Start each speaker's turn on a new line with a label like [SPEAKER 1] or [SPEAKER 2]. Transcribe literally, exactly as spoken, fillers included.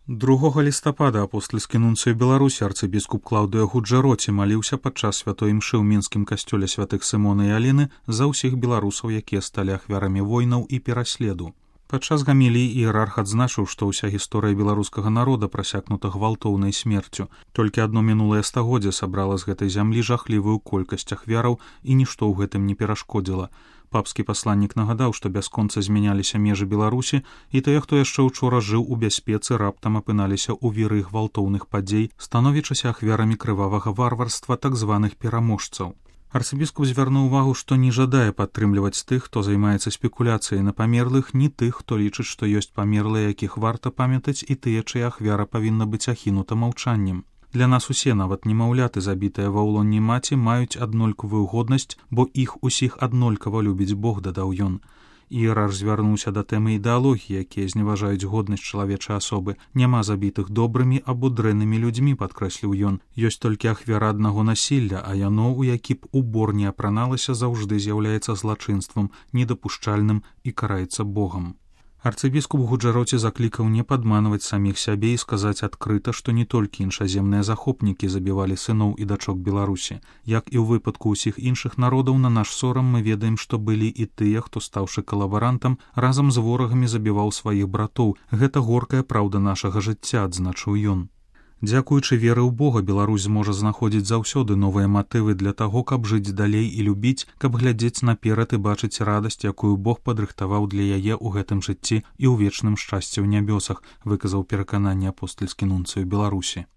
[SPEAKER 1] другога лістапада апостальскі нунцый Беларусі арцыбіскуп Клаўдыя Гуджэроці маліўся падчас святой імшы ў мінскім касцёле святых Сымона і Аліны за ўсіх беларусаў, якія сталі ахвярамі войнаў і пераследу. Падчас гаміліі іерарх адзначыў, што ўся гісторыя беларускага народа прасякнута гвалтоўнай смерцю. Толькі адно мінулае стагоддзе сабрала з гэтай зямлі жахлівую колькасць ахвяраў, і нішто ў гэтым не перашкодзіла. Папскі пасланнік нагадаў, што бясконца змяняліся межы Беларусі, і тыя, хто яшчэ ўчора жыў у бяспецы, раптам апыналіся ў віры гвалтоўных падзей, становячыся ахвярамі крывавага варварства так званых пераможцаў. Арцыбіскуп звярнуў увагу, што не жадае падтрымліваць тых, хто займаецца спекуляцыяй на памерлых, ні тых, хто лічыць, што ёсць памерлыя, якіх варта памятаць, і тыя, чыя ахвяра павінна быць ахінута маўчаннем. Для нас усе, нават немаўляты, забітыя ва ўлонні маці, маюць аднолькавую годнасць, бо іх усіх аднолькава любіць Бог, дадаў ён. Іерарх звярнуўся да тэмы ідэалогіі, якія зневажаюць годнасць чалавечай асобы. Няма забітых добрымі або дрэннымі людзьмі, падкрэсліў ён. Ёсць толькі ахвяра аднаго насілля, а яно, у які б убор не апраналася, заўжды з'яўляецца злачынствам, недапушчальным і караецца Богам. Арцыбіскуп Гуджэроці заклікаў не падманваць саміх сябе і сказаць адкрыта, што не толькі іншаземныя захопнікі забівалі сыноў і дачок Беларусі. Як і ў выпадку ўсіх іншых народаў, на наш сорам мы ведаем, што былі і тыя, хто, стаўшы калабарантам, разам з ворагамі забіваў сваіх братоў. Гэта горкая праўда нашага жыцця, адзначыў ён. Дзякуючы веры ў Бога, Беларусь зможа знаходзіць заўсёды новыя матывы для таго, каб жыць далей і любіць, каб глядзець наперад і бачыць радасць, якую Бог падрыхтаваў для яе ў гэтым жыцці і ў вечным шчасці ў нябёсах, выказаў перакананне апостальскі нунцый Беларусі.